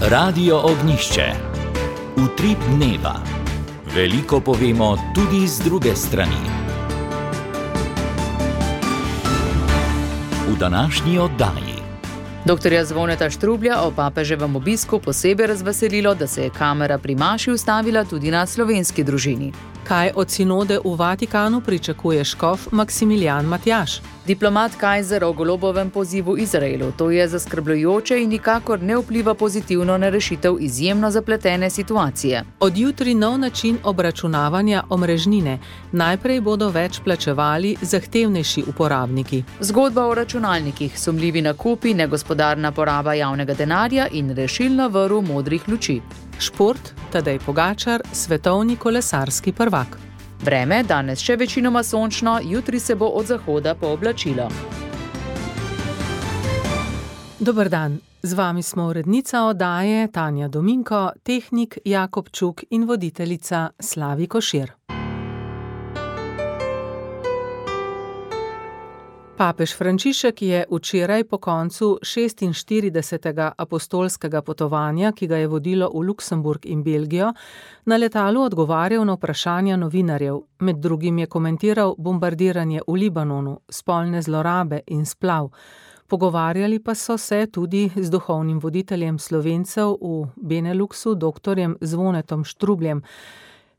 Radio Ognjišče. Utrip dneva. Veliko povemo tudi z druge strani. V današnji oddaji. Doktorja Zvoneta Štrublja o papeževem obisku posebej razveselilo, da se je kamera pri maši ustavila tudi na slovenski družini. Kaj od sinode v Vatikanu pričakuje škof Maksimilijan Matjaž? Diplomat Kajzer o golobovem pozivu Izraelu. To je zaskrbljujoče in nikakor ne vpliva pozitivno na rešitev izjemno zapletene situacije. Od jutri nov način obračunavanja omrežnine. Najprej bodo več plačevali zahtevnejši uporabniki. Zgodba o računalnikih, sumljivi nakupi, negospodarna poraba javnega denarja in rešilna vrv modrih luči. Šport, Tadej Pogačar, svetovni kolesarski prvak. Vreme, danes še večinoma sončno, jutri se bo od zahoda pooblačilo. Dober dan, z vami smo urednica oddaje Tanja Dominko, tehnik Jakob Čuk in voditeljica Slavi Košir. Papež Frančišek je včeraj po koncu 46. apostolskega potovanja, ki ga je vodilo v Luksemburg in Belgijo, na letalu odgovarjal na vprašanja novinarjev. Med drugim je komentiral bombardiranje v Libanonu, spolne zlorabe in splav. Pogovarjali pa so se tudi z duhovnim voditeljem Slovencev v Beneluxu, doktorjem Zvonetom Štrubljem.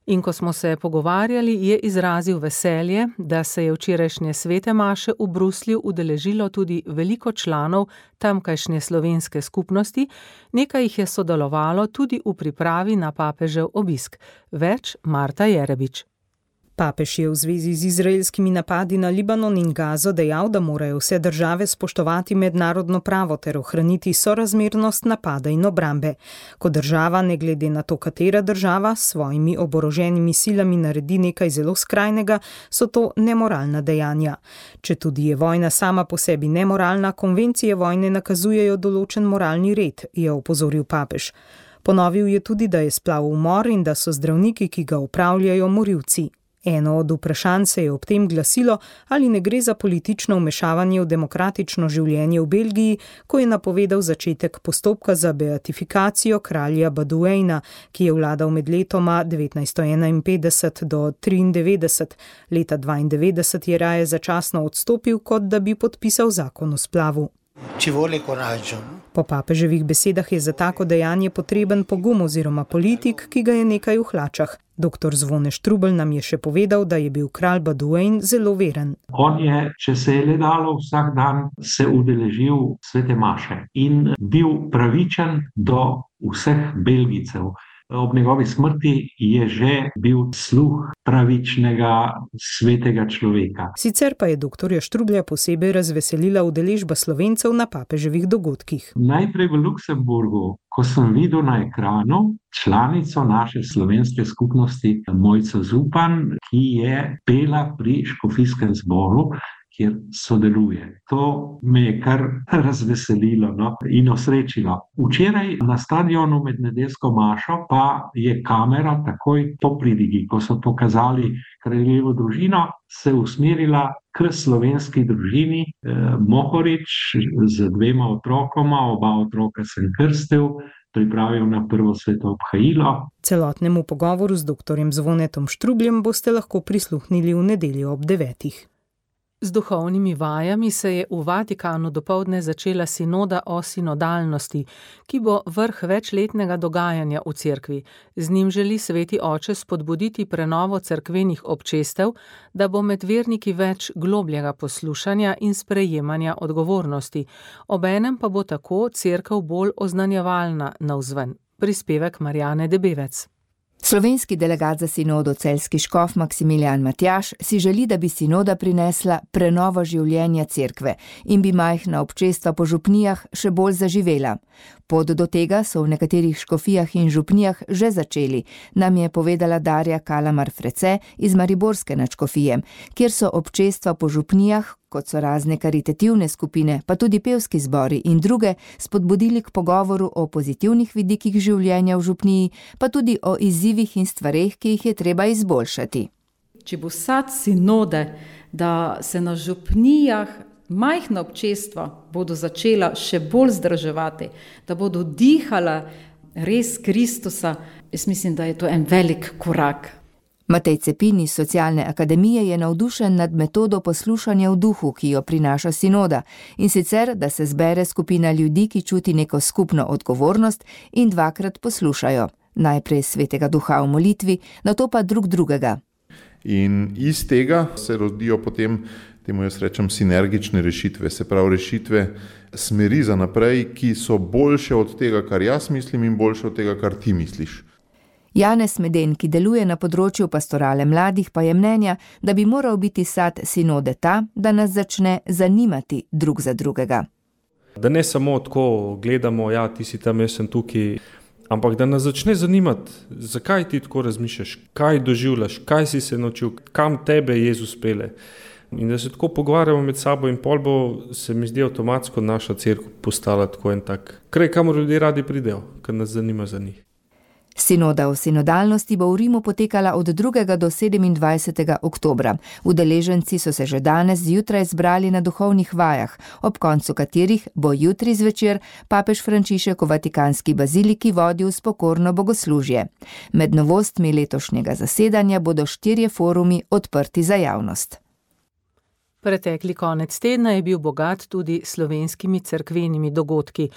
In ko smo se pogovarjali, je izrazil veselje, da se je včerajšnje svete maše v Bruslju udeležilo tudi veliko članov tamkajšnje slovenske skupnosti, nekaj jih je sodelovalo tudi v pripravi na papežev obisk. Več Marta Jerebič. Papež je v zvezi z izraelskimi napadi na Libanon in Gazo dejal, da morajo vse države spoštovati mednarodno pravo ter ohraniti sorazmernost napada in obrambe. Ko država, ne glede na to, katera država, s svojimi oboroženimi silami naredi nekaj zelo skrajnega, so to nemoralna dejanja. Četudi je vojna sama po sebi nemoralna, konvencije vojne nakazujejo določen moralni red, je opozoril papež. Ponovil je tudi, da je splav umor in da so zdravniki, ki ga upravljajo, morilci. Eno od vprašanj se je ob tem glasilo, ali ne gre za politično vmešavanje v demokratično življenje v Belgiji, ko je napovedal začetek postopka za beatifikacijo kralja Baduejna, ki je vladal med letoma 1951 do 1993. Leta 1992 je raje začasno odstopil, kot da bi podpisal zakon o splavu. Po papeževih besedah je za tako dejanje potreben pogum oziroma politik, ki ga je nekaj v hlačah. Doktor Zvone Štrubelj nam je še povedal, da je bil kralj Baduejn zelo veren. On je, če se je le dalo, vsak dan se udeležil svete maše in bil pravičen do vseh Belgijcev. Ob njegovi smrti je že bil sluh pravičnega svetega človeka. Sicer pa je doktorja Štrublja posebej razveselila udeležba Slovencev na papeževih dogodkih. Najprej v Luksemburgu, ko sem videl na ekranu članico naše slovenske skupnosti Mojco Zupan, ki je pela pri škofijskem zboru, kjer sodeluje. To me je kar razveselilo in osrečilo. Včeraj na stadionu med nedeljsko mašo pa je kamera takoj po pridigi, ko so pokazali kraljevo družino, se usmerila k slovenski družini. Mohorič z 2 otrokoma, oba otroka sem krstil, pripravil na prvo sveto obhajilo. Celotnemu pogovoru z doktorjem Zvonetom Štrubljem boste lahko prisluhnili v nedeljo ob 9. Z duhovnimi vajami se je v Vatikanu dopoldne začela sinoda o sinodalnosti, ki bo vrh večletnega dogajanja v cerkvi. Z njim želi sveti oče spodbuditi prenovo cerkvenih občestev, da bo med verniki več globljega poslušanja in sprejemanja odgovornosti. Obenem pa bo tako cerkev bolj oznanjevalna navzven. Prispevek Marjane Debevec. Slovenski delegat za sinodo celjski škof Maksimilijan Matjaž si želi, da bi sinoda prinesla prenovo življenja cerkve in bi majhna občestva po župnijah še bolj zaživela. Pot do tega so v nekaterih škofijah in župnijah že začeli, nam je povedala Darja Kalamar-Frece iz mariborske nadškofije, kjer so občestva po župnijah, kot so razne karitativne skupine, pa tudi pevski zbori in druge, spodbudili k pogovoru o pozitivnih vidikih življenja v župniji, pa tudi o izzivih in stvareh, ki jih je treba izboljšati. Če bo sad sinode, da se na župnijah majhna občestva bodo začela še bolj združevati, da bodo dihala res Kristusa, jaz mislim, da je to en velik korak. Matej Cepin iz Socialne akademije je navdušen nad metodo poslušanja v duhu, ki jo prinaša sinoda, in sicer, da se zbere skupina ljudi, ki čuti neko skupno odgovornost in dvakrat poslušajo. Najprej svetega duha v molitvi, nato pa drug drugega. In iz tega se rodijo potem, temu jaz rečem, sinergične rešitve, se pravi rešitve smeri za naprej, ki so boljše od tega, kar jaz mislim in boljše od tega, kar ti misliš. Janez Meden, ki deluje na področju pastorale mladih, pa je mnenja, da bi moral biti sad sinode ta, da nas začne zanimati drug za drugega. Da ne samo tako gledamo, ja, ti si tam, jaz sem tukaj, ampak da nas začne zanimati, zakaj ti tako razmišljaš, kaj doživljaš, kaj si se naučil, kam tebe Jezus pele. In da se tako pogovarjamo med sabo in pol bo, se mi zdi, avtomatsko naša cerkev postala tako en tak kraj, kamor ljudje radi pridejo, ker nas zanima za njih. Sinoda o sinodalnosti bo v Rimu potekala od 2. do 27. oktobra. Udeleženci so se že danes zjutraj zbrali na duhovnih vajah, ob koncu katerih bo jutri zvečer papež Frančišek v Vatikanski baziliki vodil spokorno bogoslužje. Med novostmi letošnjega zasedanja bodo 4 forumi odprti za javnost. Pretekli konec tedna je bil bogat tudi slovenskimi cerkvenimi dogodki.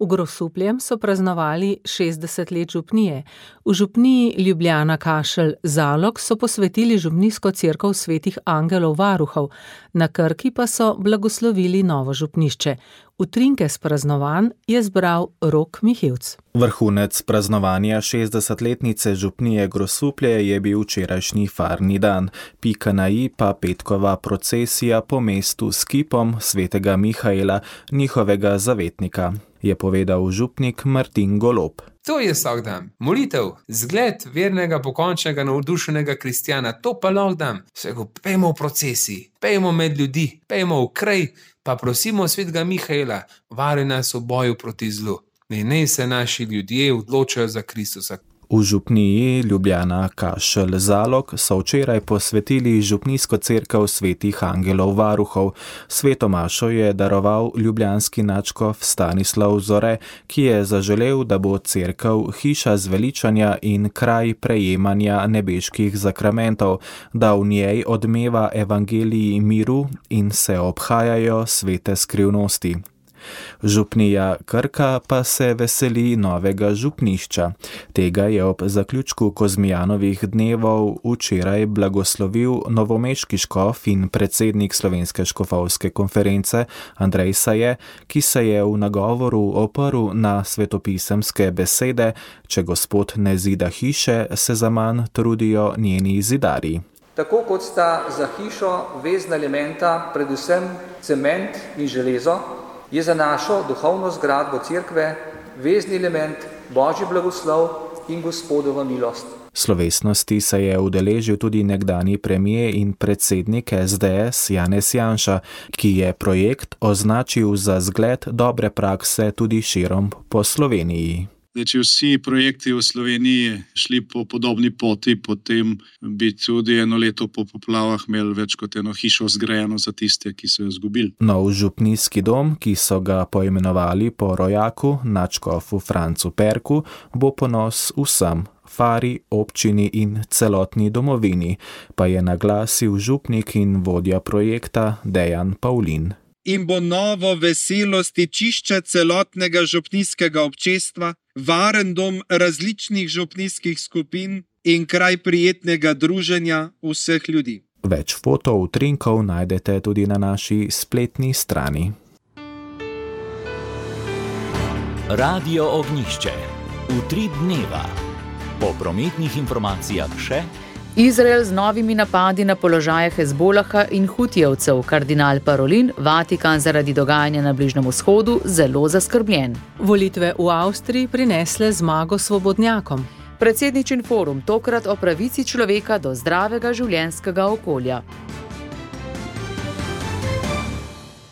V Grosupljem so praznovali 60 let župnije. V župniji Ljubljana Kašelj Zalog so posvetili župnijsko cerkev svetih angelov varuhov, na Krki pa so blagoslovili novo župnišče. Utrinke s praznovanj je zbral Rok Mihevc. Vrhunec praznovanja 60-letnice župnije Grosuplje je bil včerajšnji farni dan, pika na i pa petkova procesija po mestu s kipom svetega Mihaela, njihovega zavetnika, je povedal župnik Martin Golob. To je vsak dan. Molitev, zgled vernega, pokončnega, navdušenega kristjana, to pa lahko dan. Vsego pejmo v procesiji, pejmo med ljudi, pejmo v kraj, pa prosimo svetega Mihaela, vari nas v boju proti zlu. Naj se naši ljudje odločajo za Kristusa. V župniji Ljubljana Kašelj Zalog so včeraj posvetili župnijsko cerkev svetih angelov varuhov. Sveto mašo je daroval ljubljanski nadškof Stanislav Zore, ki je zaželel, da bo cerkev hiša zveličanja in kraj prejemanja nebeških zakramentov, da v njej odmeva evangeliji miru in se obhajajo svete skrivnosti. Župnija Krka pa se veseli novega župnišča. Tega je ob zaključku Kozmijanovih dnevov včeraj blagoslovil novomeški škof in predsednik Slovenske škofovske konference Andrej Saje, ki se je v nagovoru oprl na svetopisemske besede: če Gospod ne zida hiše, se zaman trudijo njeni zidarji. Tako kot sta za hišo vezna elementa predvsem cement in železo, je za našo duhovno zgradbo cerkve vezni element Božji blagoslov in Gospodova milost. Slovesnosti se je udeležil tudi nekdanji premier in predsednik SDS Janez Janša, ki je projekt označil za zgled dobre prakse tudi širom po Sloveniji. Če vsi projekti v Sloveniji šli po podobni poti, potem bi tudi eno leto po poplavah imeli več kot eno hišo zgrajeno za tiste, ki so jo izgubili. Nov župnijski dom, ki so ga poimenovali po rojaku, nadškofu Francu Perku, bo ponos vsem, Fari, občini in celotni domovini, pa je naglasil župnik in vodja projekta Dejan Pavlin. In bo novo veselo stičišče celotnega župnijskega občestva, varen dom različnih župnijskih skupin in kraj prijetnega druženja vseh ljudi. Več fotov utrinkov najdete tudi na naši spletni strani. Radio Ognjišče. Utrip dneva. Po prometnih informacijah še: Izrael z novimi napadi na položaje Hezbolaha in Hutijevcev, kardinal Parolin, Vatikan zaradi dogajanja na Bližnjem vzhodu zelo zaskrbljen. Volitve v Avstriji prinesle zmago svobodnjakom. Predsedničin forum tokrat o pravici človeka do zdravega življenjskega okolja.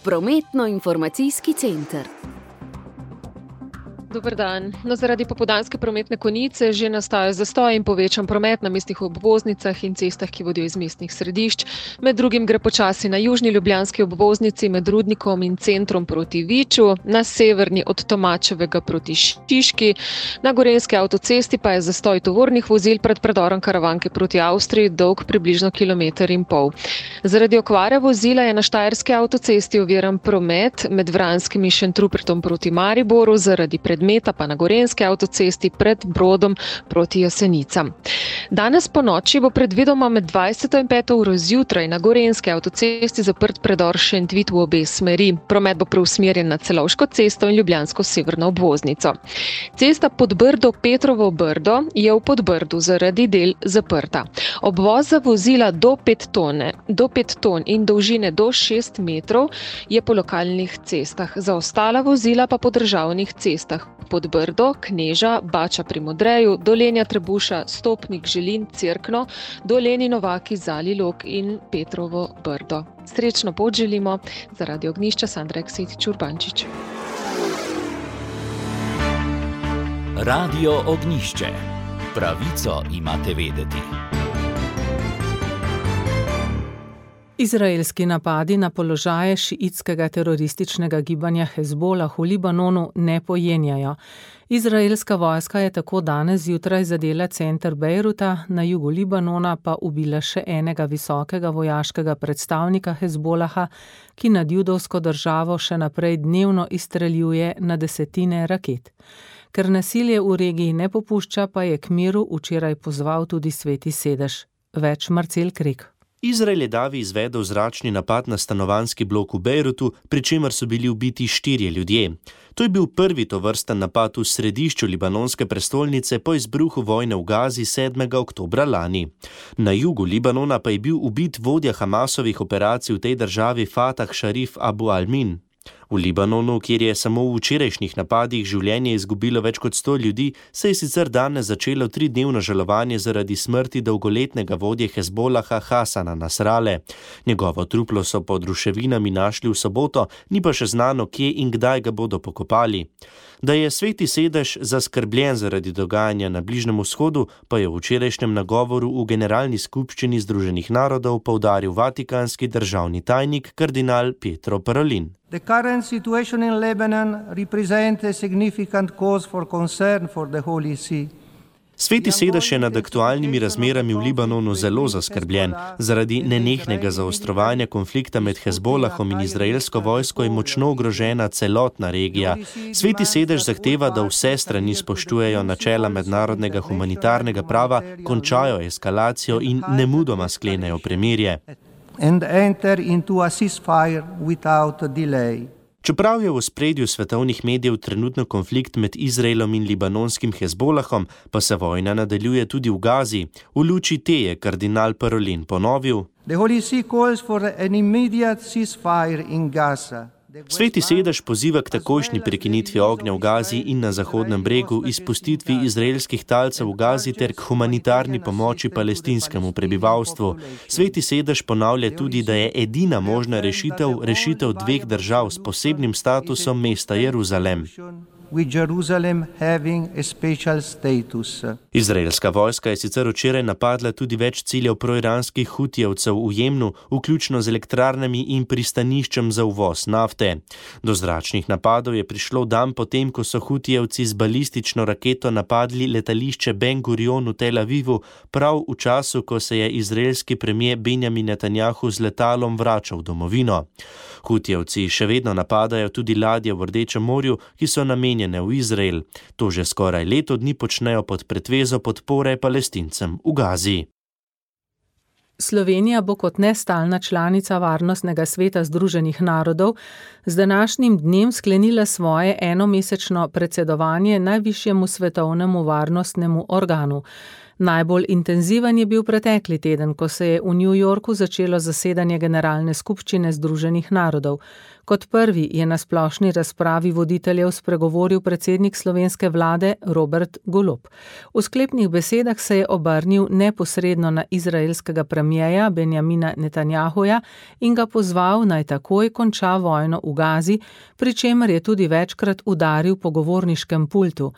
Prometno-informacijski center. Dober dan. Zaradi popoldanske prometne konice že nastaja zastoj in povečan promet na mestnih obvoznicah in cestah, ki vodijo iz mestnih središč. Med drugim gre počasi na južni ljubljanski obvoznici med Rudnikom in Centrom proti Viču, na severni od Tomačevega proti Šiški, na gorenjski avtocesti pa je zastoj tovornih vozil pred predorom Karavanke proti Avstriji dolg približno 1,5 kilometra. Zaradi okvare vozila je na štajerski avtocesti oviran promet med Vranskim in Šentrupertom proti Mariboru, zaradi predmeta pa na gorenjski avtocesti pred Brodom proti Jesenicam. Danes po noči bo predvidoma med 20. in 5. uro zjutraj na gorenjski avtocesti zaprt predor Šentvit v obe smeri. Promet bo preusmerjen na Celovško cesto in Ljubljansko severno obvoznico. Cesta Podbrdo-Petrovo Brdo je v Podbrdu zaradi del zaprta. Obvoz za vozila do 5 ton in dolžine do 6 metrov je po lokalnih cestah. Za ostala vozila pa po državnih cestah. Podbrdo, Kneža, Bača pri Modreju, Dolenja Trebuša, Stopnik, Želin, Cerkno, Doleni Novaki, Zalilok in Petrovo Brdo. Srečno pot želimo. Zaradi Ognjišča Sandra Eksetič-Urbančič. Radio Ognjišče. Pravico imate vedeti. Izraelski napadi na položaje šiitskega terorističnega gibanja Hezbolah v Libanonu ne pojenjajo. Izraelska vojska je tako danes zjutraj zadela center Bejruta, na jugu Libanona pa ubila še enega visokega vojaškega predstavnika Hezbolaha, ki nad judovsko državo še naprej dnevno izstreljuje na desetine raket. Ker nasilje v regiji ne popušča, pa je k miru včeraj pozval tudi Sveti sedež. Več Marcel Krek. Izrael je davi izvedel zračni napad na stanovanjski blok v Bejrutu, pri čemer so bili ubiti 4 ljudje. To je bil prvi tovrsten napad v središču libanonske prestolnice po izbruhu vojne v Gazi 7. oktobra lani. Na jugu Libanona pa je bil ubit vodja Hamasovih operacij v tej državi Fatah Sharif Abu Almin. V Libanonu, kjer je samo v včerajšnjih napadih življenje izgubilo več kot 100 ljudi, se je sicer danes začelo 3-dnevno žalovanje zaradi smrti dolgoletnega vodje Hezbolaha Hasana Nasrale. Njegovo truplo so pod ruševinami našli v soboto, ni pa še znano, kje in kdaj ga bodo pokopali. Da je Sveti sedež zaskrbljen zaradi dogajanja na Bližnjem vzhodu, pa je v včerajšnjem nagovoru v Generalni skupščini Združenih narodov poudaril vatikanski državni tajnik kardinal Pietro Parolin. The current situation in Lebanon represents a significant cause for concern for the Holy See. Sveti sedež je nad aktualnimi razmerami v Libanonu zelo zaskrbljen. Zaradi nenehnega zaostrovanja konflikta med Hezbolahom in izraelsko vojsko je močno ogrožena celotna regija. Sveti sedež zahteva, da vse strani spoštujejo načela mednarodnega humanitarnega prava, končajo eskalacijo in nemudoma sklenejo premirje. And enter into a ceasefire without delay. Čeprav je v ospredju svetovnih medijev trenutno konflikt med Izraelom in libanonskim Hezbolahom, pa se vojna nadaljuje tudi v Gazi. V luči te je kardinal Parolin ponovil: The Holy See calls for an immediate ceasefire in Gaza. Sveti sedež poziva k takojšnji prekinitvi ognja v Gazi in na Zahodnem bregu, izpustitvi izraelskih talcev v Gazi ter k humanitarni pomoči palestinskemu prebivalstvu. Sveti sedež ponavlja tudi, da je edina možna rešitev 2 držav s posebnim statusom mesta Jeruzalem. With Jerusalem having a special status. Izraelska vojska je sicer včeraj napadla tudi več ciljev proiranskih hutijevcev v Jemnu, vključno z elektrarnami in pristaniščem za uvoz nafte. Do zračnih napadov je prišlo dan potem, ko so hutijevci z balistično raketo napadli letališče Ben Gurion v Tel Avivu, prav v času, ko se je izraelski premier Benjamin Netanjahu z letalom vračal v domovino. Hutijevci še vedno napadajo tudi ladje v Rdečem morju, ki so namenjene v Izrael. To že skoraj leto dni počnejo pod pretvezo podpore Palestincem v Gazi. Slovenija bo kot nestalna članica Varnostnega sveta Združenih narodov z današnjim dnem sklenila svoje enomesečno predsedovanje najvišjemu svetovnemu varnostnemu organu. Najbolj intenziven je bil pretekli teden, ko se je v New Yorku začelo zasedanje Generalne skupščine Združenih narodov. Kot prvi je na splošni razpravi voditeljev spregovoril predsednik slovenske vlade Robert Golob. V sklepnih besedah se je obrnil neposredno na izraelskega premierja Benjamina Netanjahuja in ga pozval, naj takoj konča vojno v Gazi, pri čemer je tudi večkrat udaril po govorniškem pultu.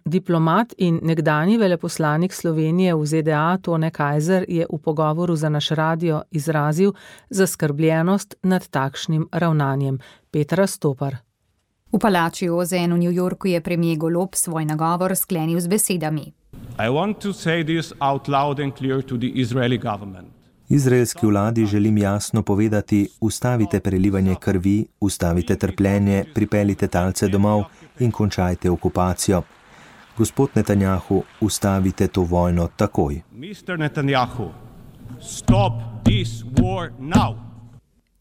Diplomat in nekdanji veleposlanik Slovenije v ZDA Tone Kajzer je v pogovoru za naš radio izrazil zaskrbljenost nad takšnim ravnanjem. Petra Stopar. V palači OZN v New Yorku je premier Golob svoj nagovor sklenil z besedami. I want to say this out loud and clear to the Israeli government. Izraelski vladi želim jasno povedati, ustavite prelivanje krvi, ustavite trpljenje, pripeljite talce domov in končajte okupacijo. Gospod Netanjahu, ustavite to vojno takoj. Mr. Netanjahu, stop this war now.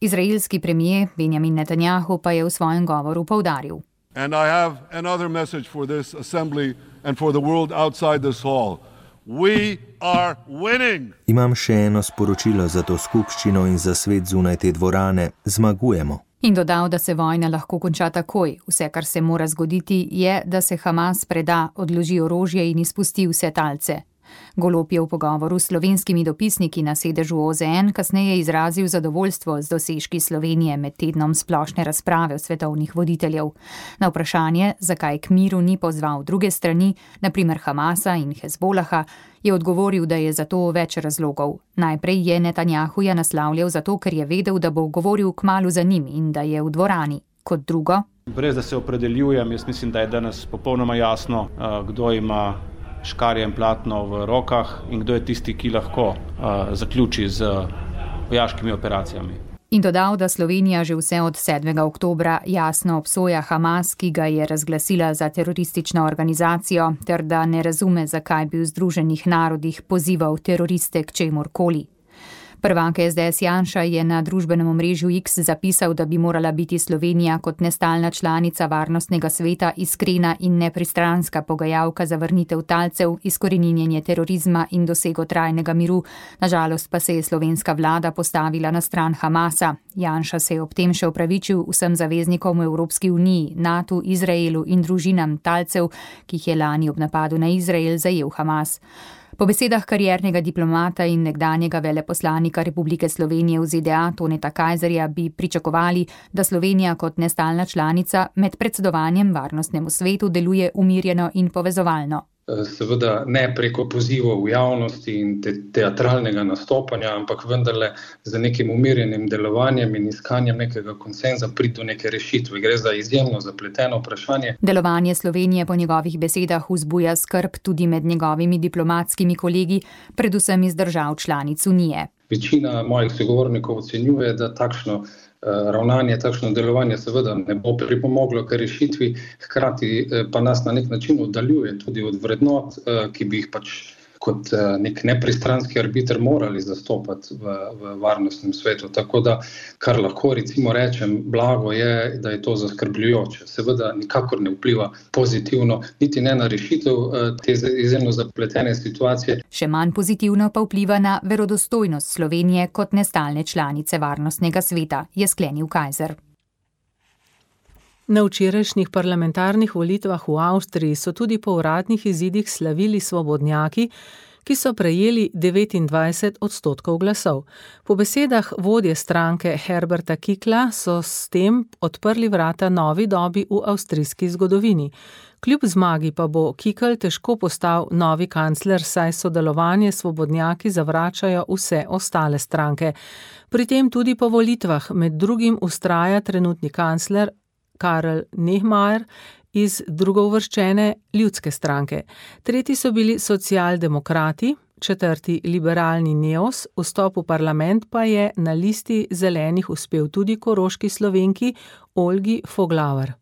Izraelski premier Benjamin Netanjahu pa je v svojem govoru poudaril. And I have another message for this assembly and for the world outside this hall. We are winning. Imam še eno sporočilo za to skupščino in za svet zunaj te dvorane. Zmagujemo. In dodal, da se vojna lahko konča takoj. Vse, kar se mora zgoditi, je, da se Hamas preda, odloži orožje in izpusti vse talce. Golob je v pogovoru s slovenskimi dopisniki na sedežu OZN kasneje izrazil zadovoljstvo z dosežki Slovenije med tednom splošne razprave o svetovnih voditeljev. Na vprašanje, zakaj k miru ni pozval druge strani, naprimer Hamasa in Hezbolaha, je odgovoril, da je za to več razlogov. Najprej je Netanjahuja naslavljal zato, ker je vedel, da bo govoril kmalu za njim in da je v dvorani. Kot drugo. Brez da se opredeljujem, jaz mislim, da je danes popolnoma jasno, kdo ima škarje in platno v rokah in kdo je tisti, ki lahko zaključi z vojaškimi operacijami. In dodal, da Slovenija že vse od 7. oktobra jasno obsoja Hamas, ki ga je razglasila za teroristično organizacijo, ter da ne razume, zakaj bi v Združenih narodih pozival teroriste k čemurkoli. Prvak SDS Janša je na družbenem omrežju X zapisal, da bi morala biti Slovenija kot nestalna članica Varnostnega sveta iskrena in nepristranska pogajalka za vrnitev talcev, izkoreninjenje terorizma in dosego trajnega miru. Nažalost pa se je slovenska vlada postavila na stran Hamasa. Janša se je ob tem še opravičil vsem zaveznikom v Evropski uniji, NATO, Izraelu in družinam talcev, ki jih je lani ob napadu na Izrael zajel Hamas. Po besedah kariernega diplomata in nekdanjega veleposlanika Republike Slovenije v ZDA Toneta Kajzerja bi pričakovali, da Slovenija kot nestalna članica med predsedovanjem Varnostnemu svetu deluje umirjeno in povezovalno. Seveda ne preko pozivov v javnosti in teatralnega nastopanja, ampak vendarle z nekim umirjenim delovanjem in iskanjem nekega konsenza priti do neke rešitve. Gre za izjemno zapleteno vprašanje. Delovanje Slovenije po njegovih besedah vzbuja skrb tudi med njegovimi diplomatskimi kolegi, predvsem iz držav članic Unije. Večina mojih sogovornikov ocenjuje, da takšno ravnanje, takšno delovanje seveda ne bo pripomoglo k rešitvi, hkrati pa nas na nek način oddaljuje tudi od vrednot, ki bi jih pač kot nek nepristranski arbiter morali zastopati v Varnostnem svetu. Tako da, kar lahko recimo rečem, blago je, da je to zaskrbljujoče. Seveda nikakor ne vpliva pozitivno, niti ne na rešitev te izjemno zapletene situacije. Še manj pozitivno pa vpliva na verodostojnost Slovenije kot nestalne članice Varnostnega sveta, je sklenil Kajzer. Na včerajšnjih parlamentarnih volitvah v Avstriji so tudi po uradnih izidih slavili svobodnjaki, ki so prejeli 29% glasov. Po besedah vodje stranke Herberta Kickla so s tem odprli vrata novi dobi v avstrijski zgodovini. Kljub zmagi pa bo Kickl težko postal novi kancler, saj sodelovanje svobodnjaki zavračajo vse ostale stranke. Pri tem tudi po volitvah med drugim vztraja trenutni kancler Karl Nehammer iz drugouvrščene ljudske stranke. Tretji so bili socialdemokrati, četrti liberalni Neos, vstop v parlament pa je na listi zelenih uspel tudi koroški Slovenki Olgi Foglauer.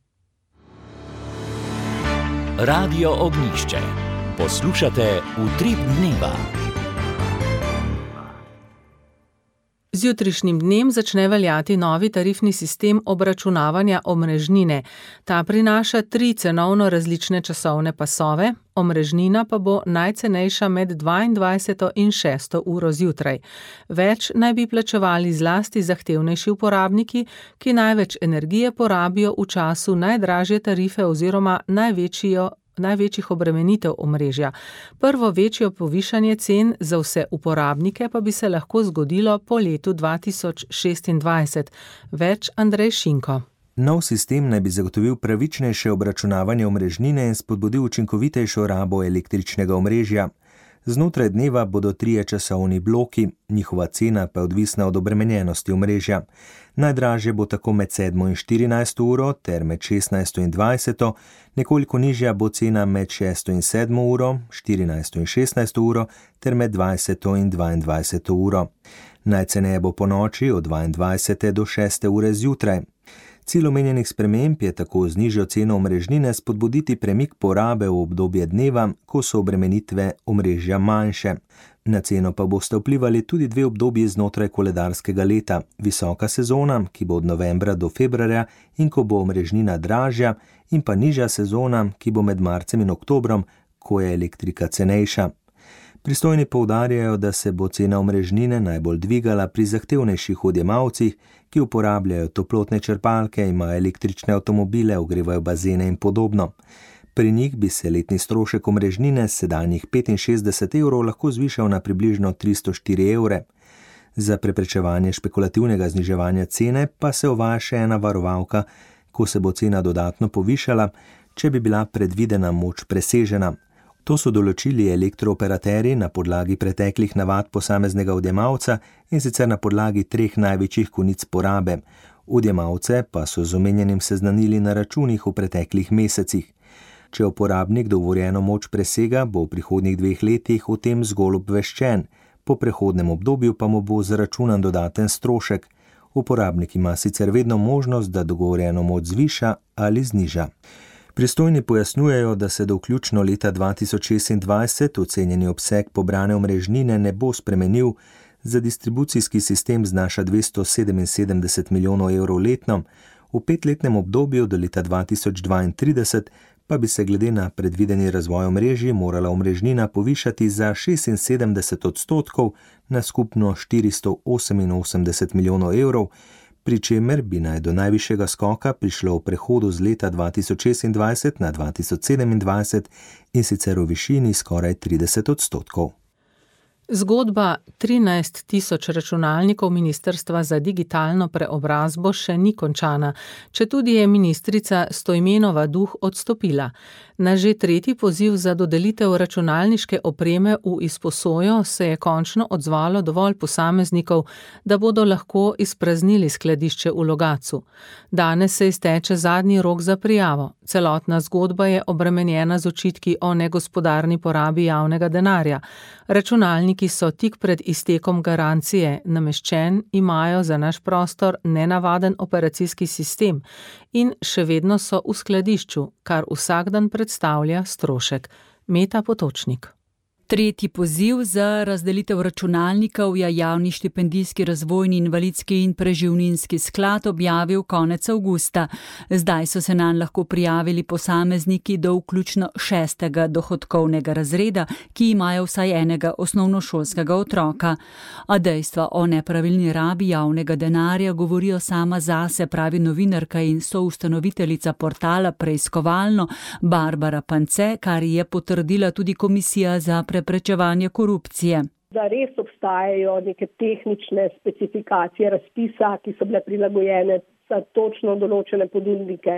Radio Ognjišče. Poslušate Utrip dneva. Z jutrišnjim dnem začne veljati novi tarifni sistem obračunavanja omrežnine. Ta prinaša 3 cenovno različne časovne pasove, omrežnina pa bo najcenejša med 22. in 6. uro zjutraj. Več naj bi plačevali zlasti zahtevnejši uporabniki, ki največ energije porabijo v času najdražje tarife oziroma največjih obremenitev omrežja. Prvo večjo povišanje cen za vse uporabnike pa bi se lahko zgodilo po letu 2026. Več Andrej Šinko. Nov sistem naj bi zagotovil pravičnejše obračunavanje omrežnine in spodbudil učinkovitejšo rabo električnega omrežja. Znotraj dneva bodo 3 časovni bloki, njihova cena pa je odvisna od obremenjenosti omrežja. Najdražje bo tako med 7. in 14. uro ter med 16. in 20. Nekoliko nižja bo cena med 6. in 7. uro, 14. in 16. uro ter med 20. in 22. uro. Najceneje bo po noči od 22. do 6. ure zjutraj. Cilj omenjenih sprememb je tako z nižjo ceno omrežnine spodbuditi premik porabe v obdobje dneva, ko so obremenitve omrežja manjše. Na ceno pa boste vplivali tudi 2 obdobji znotraj koledarskega leta, visoka sezona, ki bo od novembra do februarja in ko bo omrežnina dražja, in pa nižja sezona, ki bo med marcem in oktobrom, ko je elektrika cenejša. Pristojni poudarjajo, da se bo cena omrežnine najbolj dvigala pri zahtevnejših odjemalcih, ki uporabljajo toplotne črpalke, imajo električne avtomobile, ogrevajo bazene in podobno. Pri njih bi se letni strošek omrežnine s sedanjih 65 evrov lahko zvišal na približno 304 evre. Za preprečevanje špekulativnega zniževanja cene pa se uvaja še ena varovalka, ko se bo cena dodatno povišala, če bi bila predvidena moč presežena. To so določili elektrooperaterji na podlagi preteklih navad posameznega odjemalca in sicer na podlagi 3 največjih konic porabe. Odjemalce pa so z omenjenim seznanili na računih v preteklih mesecih. Če uporabnik dovoljeno moč presega, bo v prihodnjih 2 letih o tem zgolj obveščen, po prehodnem obdobju pa mu bo zaračunan dodaten strošek. Uporabnik ima sicer vedno možnost, da dogovorjeno moč zviša ali zniža. Pristojni pojasnjujejo, da se do vključno leta 2026 ocenjeni obseg pobrane omrežnine ne bo spremenil, za distribucijski sistem znaša 277 milijonov evrov letno, v 5-letnem obdobju do leta 2032 pa bi se glede na predvideni razvoj omrežij morala omrežnina povišati za 76% na skupno 488 milijonov evrov, pri čemer bi naj do najvišjega skoka prišlo v prehodu z leta 2026 na 2027 in sicer v višini skoraj 30%. Zgodba 13 000 računalnikov Ministrstva za digitalno preobrazbo še ni končana, četudi je ministrica Stojmenova Duh odstopila. Na že 3. poziv za dodelitev računalniške opreme v izposojo se je končno odzvalo dovolj posameznikov, da bodo lahko izpraznili skladišče v Logatcu. Danes se izteče zadnji rok za prijavo. Celotna zgodba je obremenjena z očitki o negospodarni porabi javnega denarja. Računalniki so tik pred iztekom garancije, nameščen imajo za naš prostor nenavaden operacijski sistem in še vedno so v skladišču, kar vsak dan predstavlja strošek. Meta Potočnik. 3. poziv za razdelitev računalnikov je Javni štipendijski razvojni invalidski in preživninski sklad objavil konec avgusta. Zdaj so se nanj lahko prijavili posamezniki do vključno 6. dohodkovnega razreda, ki imajo vsaj enega osnovnošolskega otroka. A dejstva o nepravilni rabi javnega denarja govorijo sama zase, pravi novinarka in soustanoviteljica portala Preiskovalno Barbara Pance, kar je potrdila tudi Komisija za preprečevanje korupcije. Da res obstajajo neke tehnične specifikacije razpisa, ki so bile prilagojene za točno določene ponudnike.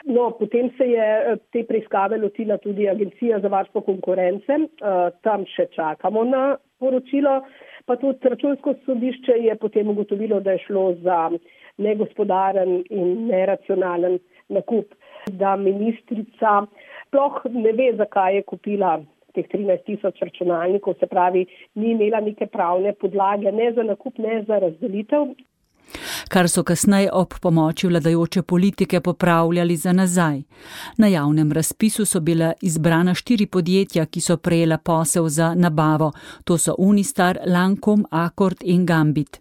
No, potem se je te preiskave lotila tudi Agencija za varstvo konkurence. Tam še čakamo na poročilo. Pa tudi Računsko sodišče je potem ugotovilo, da je šlo za negospodaren in neracionalen nakup. Da ministrica sploh ne ve, zakaj je kupila teh 13 000 računalnikov, se pravi, ni imela neke pravne podlage, ne za nakup, ne za razdelitev. Kar so kasneje ob pomoči vladajoče politike popravljali za nazaj. Na javnem razpisu so bila izbrana 4 podjetja, ki so prejela posel za nabavo. To so Unistar, Lancome, Accord in Gambit.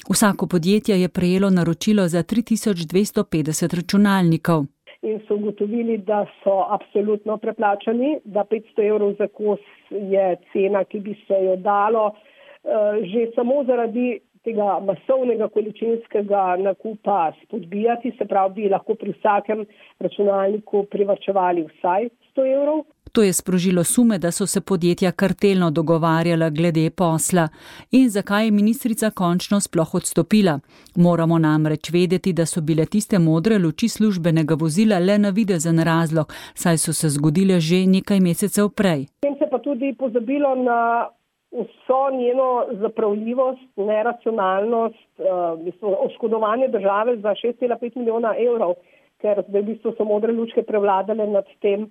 Vsako podjetje je prejelo naročilo za 3250 računalnikov. In so ugotovili, da so absolutno preplačani, da 500 evrov za kos je cena, ki bi se jo dalo že samo zaradi tega masovnega količinskega nakupa spodbijati, se pravi, bi lahko pri vsakem računalniku privarčevali vsaj 100 evrov. To je sprožilo sume, da so se podjetja kartelno dogovarjala glede posla. In zakaj je ministrica končno sploh odstopila? Moramo namreč vedeti, da so bile tiste modre luči službenega vozila le navidezen razlog, saj so se zgodile že nekaj mesecev prej. Tem se pa tudi pozabilo na vso njeno zapravljivost, neracionalnost, oškodovanje države za 6,5 milijona evrov, ker v bistvu so modre lučke prevladale nad tem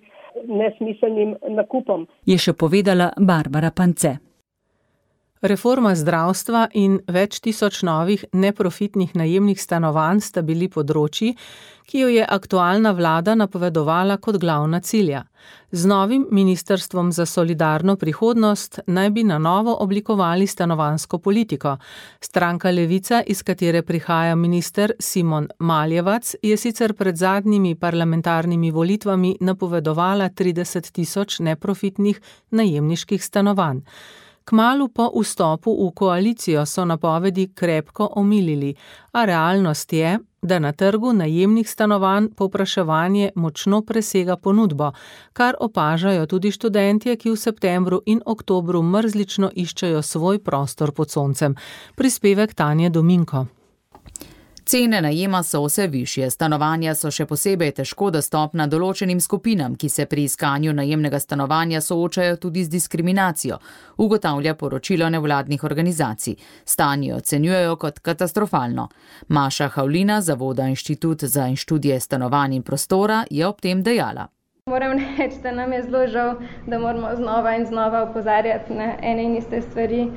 nesmiselnim nakupom. Je še povedala Barbara Pance. Reforma zdravstva in več tisoč novih neprofitnih najemnih stanovanj sta bili področji, ki jo je aktualna vlada napovedovala kot glavna cilja. Z novim ministrstvom za solidarno prihodnost naj bi na novo oblikovali stanovanjsko politiko. Stranka Levica, iz katere prihaja minister Simon Maljevac, je sicer pred zadnjimi parlamentarnimi volitvami napovedovala 30 tisoč neprofitnih najemniških stanovanj. Kmalu po vstopu v koalicijo so napovedi krepko omilili, a realnost je, da na trgu najemnih stanovanj povpraševanje močno presega ponudbo, kar opažajo tudi študentje, ki v septembru in oktobru mrzlično iščejo svoj prostor pod soncem. Prispevek Tanje Dominko. Cene najema so vse višje, stanovanja so še posebej težko dostopna določenim skupinam, ki se pri iskanju najemnega stanovanja soočajo tudi z diskriminacijo, ugotavlja poročilo nevladnih organizacij. Stanje ocenjujejo kot katastrofalno. Maša Havlina, Zavoda Inštitut za študije stanovanj in prostora, je ob tem dejala. Moram reči, da nam je zelo žal, da moramo znova in znova opozarjati na ene in iste stvari,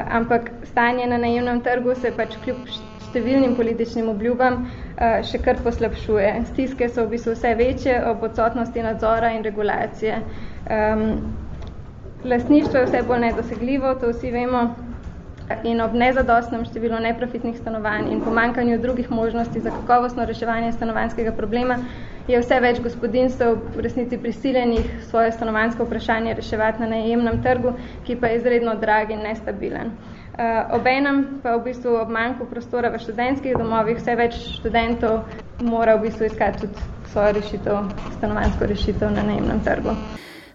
ampak stanje na najemnem trgu se pač kljub številnim političnim obljubam še kar poslabšuje. Stiske so v bistvu vse večje ob odsotnosti nadzora in regulacije. Lastništvo je vse bolj nedosegljivo, to vsi vemo, in ob nezadostnem številu neprofitnih stanovanj in pomanjkanju drugih možnosti za kakovostno reševanje stanovanjskega problema je vse več gospodinjstev v resnici prisiljenih svoje stanovanjsko vprašanje reševati na najemnem trgu, ki pa je izredno drag in nestabilen. Obenem pa v bistvu ob manjku prostora v študentskih domovih vse več študentov mora v bistvu iskati tudi svojo rešitev, stanovanjsko rešitev na najemnem trgu.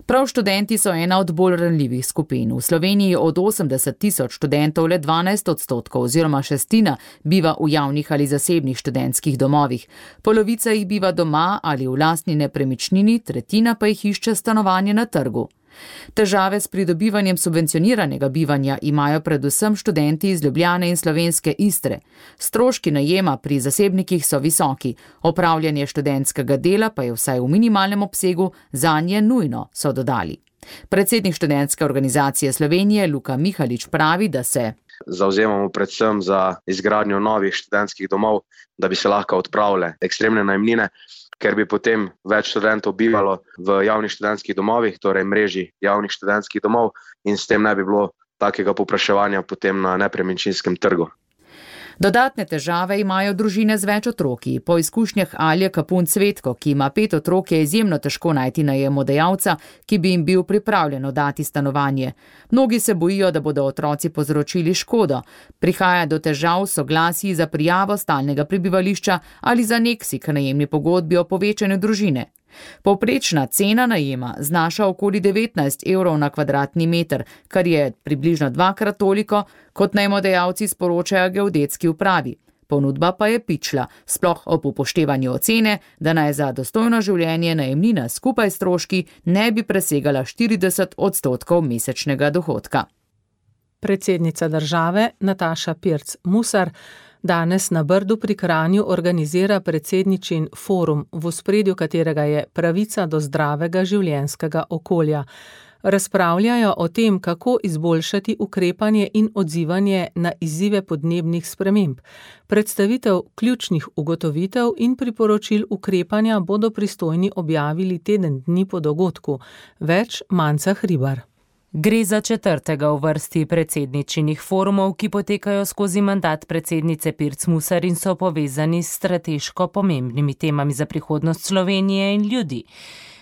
Prav študenti so ena od bolj ranljivih skupin. V Sloveniji od 80 tisoč študentov le 12% oziroma šestina biva v javnih ali zasebnih študentskih domovih. Polovica jih biva doma ali v lastni nepremičnini, tretjina pa jih išče stanovanje na trgu. Težave s pridobivanjem subvencioniranega bivanja imajo predvsem študenti iz Ljubljane in slovenske Istre. Stroški najema pri zasebnikih so visoki, opravljanje študentskega dela pa je vsaj v minimalnem obsegu zanje nujno, so dodali. Predsednik študentske organizacije Slovenije Luka Mihalič pravi, da se zavzemamo predvsem za izgradnjo novih študentskih domov, da bi se lahko odpravile ekstremne najemnine, ker bi potem več študentov bivalo v javnih študentskih domovih, torej mreži javnih študentskih domov, in s tem ne bi bilo takega povpraševanja potem na nepremičninskem trgu. Dodatne težave imajo družine z več otroki. Po izkušnjah Alje Kapun Cvetko, ki ima 5 otrok, je izjemno težko najti najemodajalca, ki bi jim bil pripravljen dati stanovanje. Mnogi se bojijo, da bodo otroci povzročili škodo. Prihaja do težav s soglasji za prijavo stalnega prebivališča ali za aneksi k najemni pogodbi o povečanju družine. Povprečna cena najema znaša okoli 19 evrov na kvadratni meter, kar je približno 2-krat toliko, kot najemodajalci sporočajo geodetski upravi. Ponudba pa je pičla, sploh ob upoštevanju ocene, da naj za dostojno življenje najemnina skupaj s stroški ne bi presegala 40% mesečnega dohodka. Predsednica države Nataša Pirc Musar danes na Brdu pri Kranju organizira predsedničin forum, v ospredju katerega je pravica do zdravega življenjskega okolja. Razpravljajo o tem, kako izboljšati ukrepanje in odzivanje na izzive podnebnih sprememb. Predstavitev ključnih ugotovitev in priporočil ukrepanja bodo pristojni objavili teden dni po dogodku. Več Manca Hribar. Gre za 4. v vrsti predsedničinih forumov, ki potekajo skozi mandat predsednice Pirc Musar in so povezani s strateško pomembnimi temami za prihodnost Slovenije in ljudi.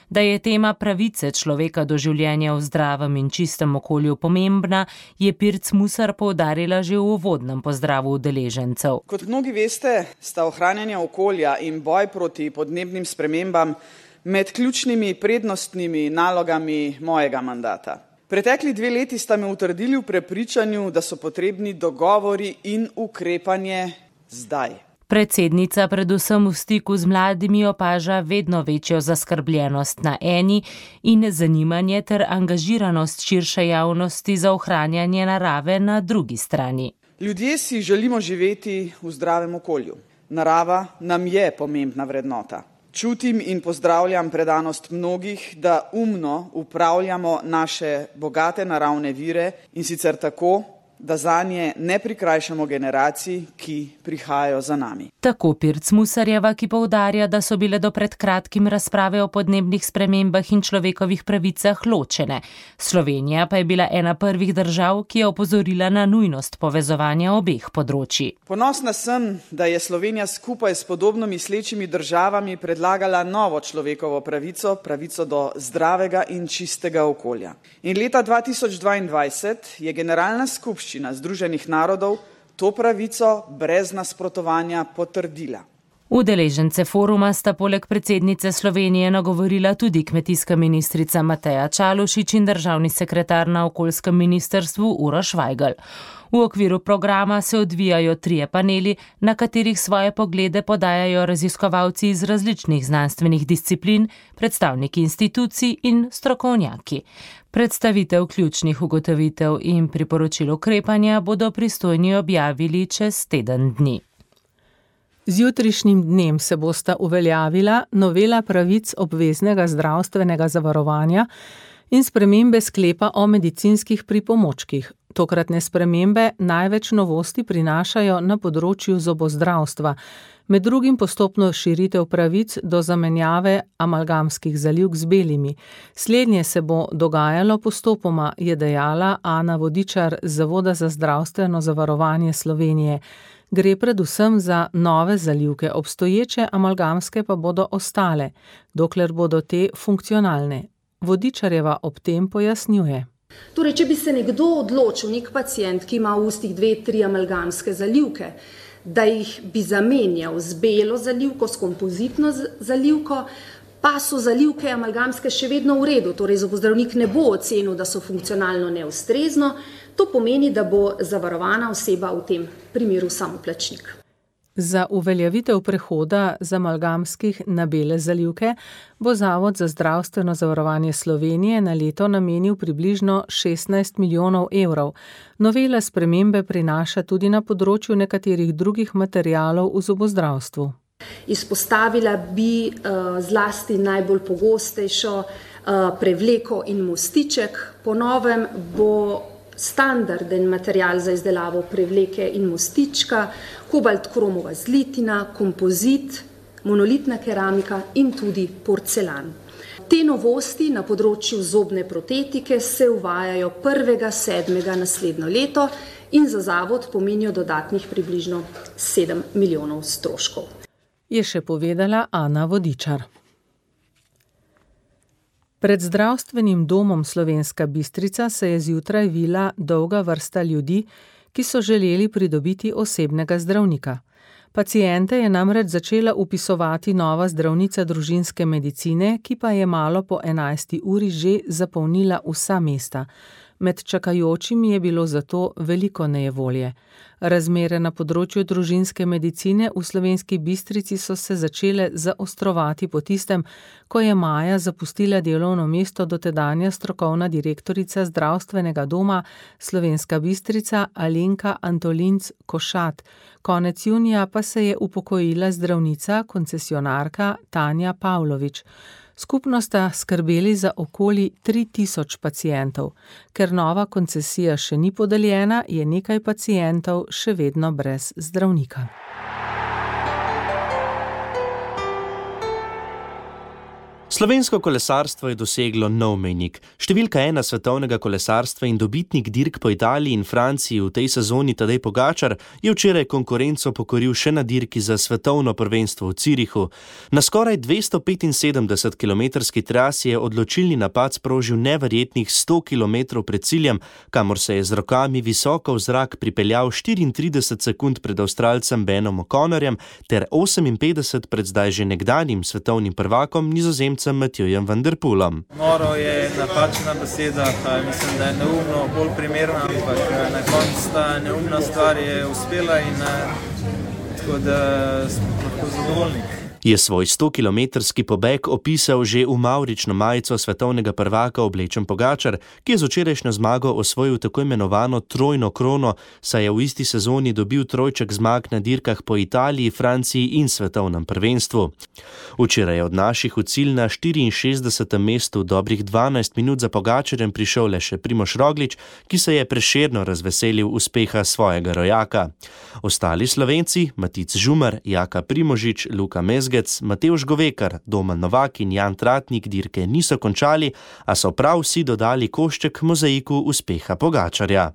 Da je tema pravice človeka do življenja v zdravem in čistem okolju pomembna, je Pirc Musar poudarila že v uvodnem pozdravu udeležencev. Kot mnogi veste, sta ohranjanje okolja in boj proti podnebnim spremembam med ključnimi prednostnimi nalogami mojega mandata. Pretekli 2 leti sta me utrdili v prepričanju, da so potrebni dogovori in ukrepanje zdaj. Predsednica predvsem v stiku z mladimi opaža vedno večjo zaskrbljenost na eni in zanimanje ter angažiranost širše javnosti za ohranjanje narave na drugi strani. Ljudje si želimo živeti v zdravem okolju. Narava nam je pomembna vrednota. Čutim in pozdravljam predanost mnogih, da umno upravljamo naše bogate naravne vire in sicer tako, da zanje ne prikrajšamo generacij, ki prihajajo za nami. Tako Pirc Musarjeva, ki poudarja, da so bile do pred kratkim razprave o podnebnih spremembah in človekovih pravicah ločene. Slovenija pa je bila ena prvih držav, ki je opozorila na nujnost povezovanja obeh področij. Ponosna sem, da je Slovenija skupaj s podobno mislečimi državami predlagala novo človekovo pravico, pravico do zdravega in čistega okolja. In leta 2022 je Generalna skupščina Združenih narodov to pravico brez nasprotovanja potrdila. Udeležence foruma sta poleg predsednice Slovenije nagovorila tudi kmetijska ministrica Mateja Čalušić in državni sekretar na okoljskem ministrstvu Uroš Vajgl. V okviru programa se odvijajo 3 paneli, na katerih svoje poglede podajajo raziskovalci iz različnih znanstvenih disciplin, predstavniki institucij in strokovnjaki. Predstavitev ključnih ugotovitev in priporočil ukrepanja bodo pristojni objavili čez teden dni. Z jutrišnjim dnem se bosta uveljavila novela pravic obveznega zdravstvenega zavarovanja in spremembe sklepa o medicinskih pripomočkih. Tokratne spremembe največ novosti prinašajo na področju zobozdravstva, med drugim postopno širitev pravic do zamenjave amalgamskih zalivk z belimi. Slednje se bo dogajalo postopoma, je dejala Ana Vodičar z Zavoda za zdravstveno zavarovanje Slovenije. Gre predvsem za nove zalivke, obstoječe amalgamske pa bodo ostale, dokler bodo te funkcionalne. Vodičarjeva ob tem pojasnjuje. Torej, če bi se nekdo odločil, nek pacient, ki ima v ustih 2-3 amalgamske zalivke, da jih bi zamenjal z belo zalivko, s kompozitno zalivko, pa so zalivke amalgamske še vedno v redu, torej zobozdravnik ne bo ocenil, da so funkcionalno neustrezno, to pomeni, da bo zavarovana oseba v tem primeru samoplačnik. Za uveljavitev prehoda z amalgamskih na bele zalivke bo Zavod za zdravstveno zavarovanje Slovenije na leto namenil približno 16 milijonov evrov. Novela spremembe prinaša tudi na področju nekaterih drugih materialov v zobozdravstvu. Izpostavila bi zlasti najbolj pogostejšo prevleko in mostiček. Po novem bo standarden material za izdelavo prevleke in mostička, kobalt kromova zlitina, kompozit, monolitna keramika in tudi porcelan. Te novosti na področju zobne protetike se uvajajo 1.7. naslednjo leto in za zavod pomenijo dodatnih približno 7 milijonov stroškov. Je še povedala Ana Vodičar. Pred zdravstvenim domom Slovenska Bistrica se je zjutraj vila dolga vrsta ljudi, ki so želeli pridobiti osebnega zdravnika. Paciente je namreč začela upisovati nova zdravnica družinske medicine, ki pa je malo po 11. uri že zapolnila vsa mesta. Med čakajočimi je bilo zato veliko nejevolje. Razmere na področju družinske medicine v Slovenski Bistrici so se začele zaostrovati po tistem, ko je maja zapustila delovno mesto dotedanja strokovna direktorica zdravstvenega doma Slovenska Bistrica Alenka Antolinc Košat. Konec junija pa se je upokojila zdravnica, koncesionarka Tanja Pavlović. Skupno sta skrbeli za okoli 3000 pacientov. Ker nova koncesija še ni podeljena, je nekaj pacientov še vedno brez zdravnika. Slovensko kolesarstvo je doseglo nov mejnik. Številka 1 svetovnega kolesarstva in dobitnik dirk po Italiji in Franciji v tej sezoni Tadej Pogačar je včeraj konkurenco pokoril še na dirki za svetovno prvenstvo v Zürichu. Na skoraj 275-kilometrski trasi je odločilni napad sprožil neverjetnih 100 km pred ciljem, kamor se je z rokami visoko v zrak pripeljal 34 sekund pred Avstralcem Benom O'Connorjem ter 58 pred zdaj že nekdanjim svetovnim prvakom Nizozemcem Matjujem van der Poelom. Noro je napačna beseda, mislim, da je neumno bolj primerna, ampak na koncu ta neumna stvar je uspela in tako da smo lahko zadovoljni. Je svoj 100-kilometrski pobeg opisal že v mavrično majico svetovnega prvaka oblečen Pogačar, ki je z včerajšnjo zmago osvojil tako imenovano trojno krono, saj je v isti sezoni dobil trojček zmag na dirkah po Italiji, Franciji in svetovnem prvenstvu. Včeraj je od naših v cilj na 64. mestu dobrih 12 minut za Pogačarjem prišel le še Primož Roglič, ki se je prešerno razveselil uspeha svojega rojaka. Ostali Slovenci, Matic Žumar, Jaka Primožič, Luka Mezgec, Matevž Govekar, Domen Novak in Jan Tratnik dirke niso končali, a so prav vsi dodali košček mozaiku uspeha Pogačarja.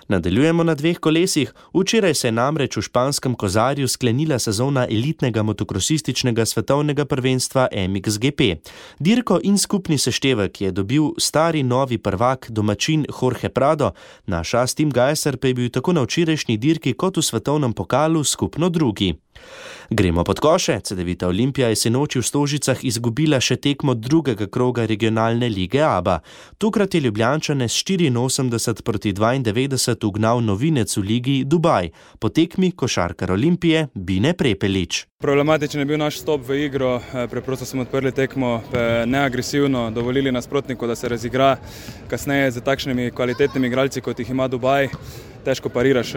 Nadaljujemo na 2 kolesih. Včeraj se je namreč v španskem Kozarju sklenila sezona elitnega motokrosističnega svetovnega prvenstva MXGP. Dirko in skupni seštevek je dobil stari novi prvak domačin Jorge Prado, naš Tim Gajser pa je bil tako na včerajšnji dirki kot v svetovnem pokalu skupno drugi. Gremo pod koše. Cedevita Olimpija je sinoči v Stožicah izgubila še tekmo drugega kroga regionalne lige ABA. Tokrat je Ljubljančane s 84-92 ugnal novinec v ligi Dubaj. Po tekmi košarkar Olimpije Bine Prepelič. Problematičen je bil naš stop v igro, preprosto smo odprli tekmo neagresivno, dovolili nasprotniku, da se razigra. Kasneje z takšnimi kvalitetnimi igralci, kot jih ima Dubaj, težko pariraš.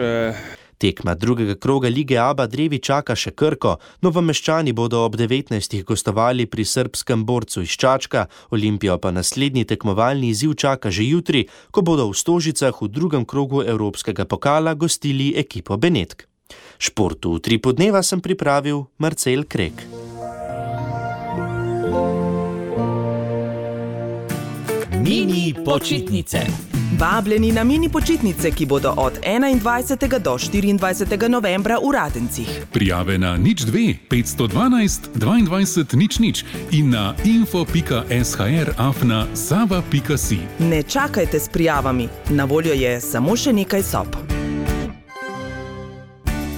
Tekma drugega kroga lige ABA drevi čaka še Krko. Novomeščani bodo ob 19. gostovali pri srbskem borcu iz Čačka, Olimpijo pa naslednji tekmovalni izziv čaka že jutri, ko bodo v Stožicah v drugem krogu evropskega pokala gostili ekipo Benetk. Športu v 3 podneva sem pripravil Marcel Krek. Mini počitnice. Vabljeni na mini počitnice, ki bodo od 21. do 24. novembra v Radencih. Prijave na 02 512 22 00 in na info.shr@sava.si. Ne čakajte s prijavami, na voljo je samo še nekaj sob.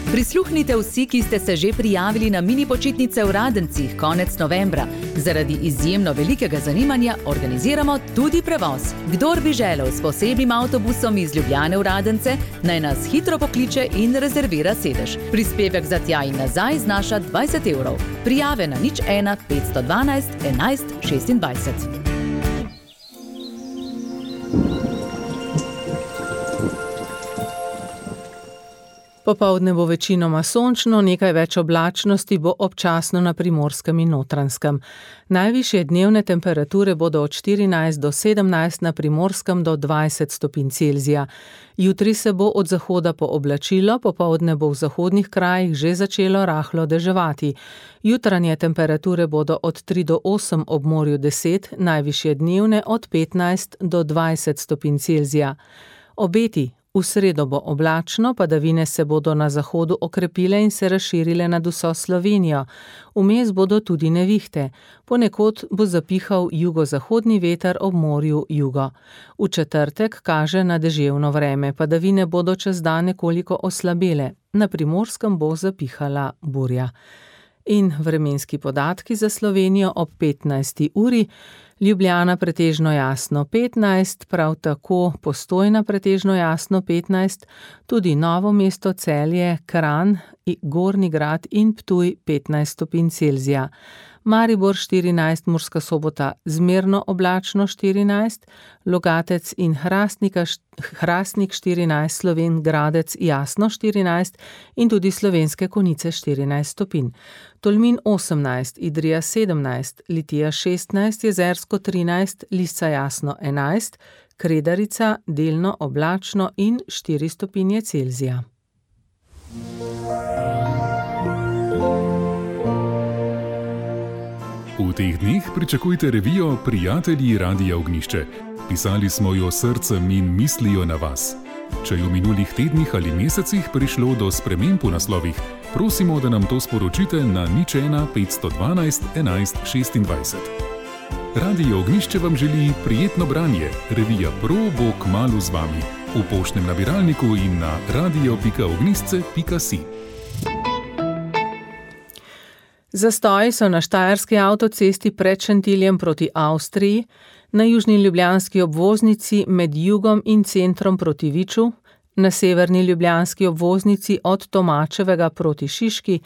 Prisluhnite vsi, ki ste se že prijavili na mini počitnice v Radencih konec novembra. Zaradi izjemno velikega zanimanja organiziramo tudi prevoz. Kdor bi želel s posebnim avtobusom iz Ljubljane v Radence, naj nas hitro pokliče in rezervira sedež. Prispevek za tja in nazaj znaša 20 €. Prijave na 01 512 11 26. Popoldne bo večinoma sončno, nekaj več oblačnosti bo občasno na Primorskem in Notranjskem. Najvišje dnevne temperature bodo od 14 do 17, na Primorskem do 20 stopinj Celzija. Jutri se bo od zahoda pooblačilo, popoldne bo v zahodnih krajih že začelo rahlo deževati. Jutranje temperature bodo od 3 do 8, ob morju 10, najvišje dnevne od 15 do 20 stopinj Celzija. Obeti. V sredo bo oblačno, padavine se bodo na zahodu okrepile in se razširile nad vso Slovenijo. Vmes bodo tudi nevihte. Ponekod bo zapihal jugozahodni veter, ob morju jugo. V četrtek kaže na deževno vreme, padavine bodo čez dan nekoliko oslabele. Na Primorskem bo zapihala burja. In vremenski podatki za Slovenijo ob 15. uri. Ljubljana pretežno jasno 15, prav tako Postojna pretežno jasno 15, tudi Novo mesto, Celje, Kranj, Gornji Grad in Ptuj 15 stopinj Celzija. Maribor 14, Murska Sobota zmerno oblačno 14, Logatec in Hrastnik 14, Slovenj Gradec jasno 14 in tudi Slovenske Konjice 14 stopinj. Tolmin 18, Idrija 17, Litija 16, Jezersko 13, Lisca jasno 11, Kredarica delno oblačno in 4 stopinje Celzija. V teh dneh pričakujte revijo Prijatelji Radia Ognjišče. Pisali smo jo srcem in mislijo na vas. Če je v minulih tednih ali mesecih prišlo do sprememb v naslovih, prosimo, da nam to sporočite na 01 512 11 26. Radio Ognjišče vam želi prijetno branje. Revija Pro bo kmalu z vami. V poštnem nabiralniku in na radio.ognjišče.si. Zastoji so na štajerski avtocesti pred Šentiljem proti Avstriji, na južni ljubljanski obvoznici med jugom in centrom proti Viču, na severni ljubljanski obvoznici od Tomačevega proti Šiški,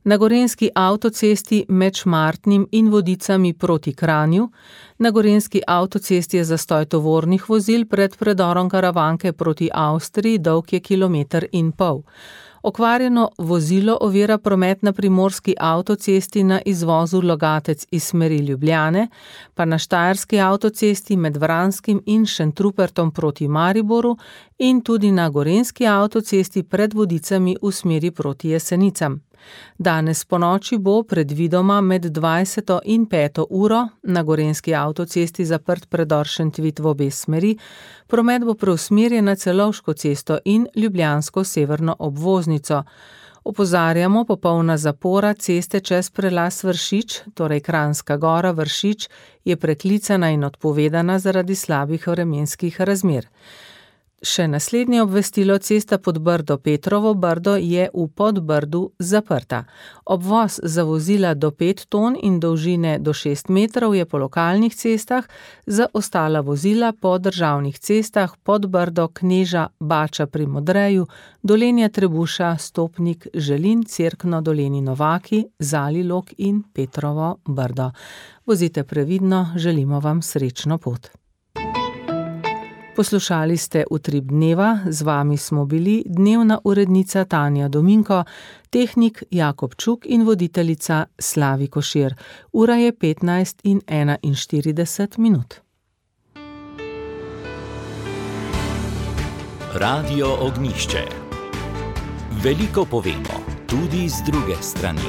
na gorenjski avtocesti med Šmartnim in Vodicami proti Kranju, na gorenjski avtocesti je zastoj tovornih vozil pred predorom Karavanke proti Avstriji, dolg je 1,5 kilometra. Okvarjeno vozilo ovira promet na primorski avtocesti na izvozu Logatec iz smeri Ljubljane, pa na štajerski avtocesti med Vranskim in Šentrupertom proti Mariboru in tudi na gorenjski avtocesti pred Vodicami v smeri proti Jesenicam. Danes ponoči bo predvidoma med 20. in 5. uro na gorenjski avtocesti zaprt predor Šentvit v obe smeri, promet bo preusmerjen na Celovško cesto in ljubljansko severno obvoznico. Opozarjamo, popolna zapora ceste čez prelaz Vršič, torej Kranjska Gora Vršič, je preklicana in odpovedana zaradi slabih vremenskih razmer. Še naslednje obvestilo, cesta Podbrdo Petrovo Brdo je v Podbrdu zaprta. Obvoz za vozila do 5 ton in dolžine do 6 metrov je po lokalnih cestah, za ostala vozila po državnih cestah Podbrdo, Kneža, Bača pri Modreju, Dolenja Trebuša, Stopnik, Želin, Cerkno, Doleni Novaki, Zalilok in Petrovo Brdo. Vozite previdno, želimo vam srečno pot. Poslušali ste Utrip dneva, z vami smo bili dnevna urednica Tanja Dominko, tehnik Jakob Čuk in voditeljica Slavi Košir. Ura je 15:41. Radio Ognjišče. Veliko povemo, tudi z druge strani.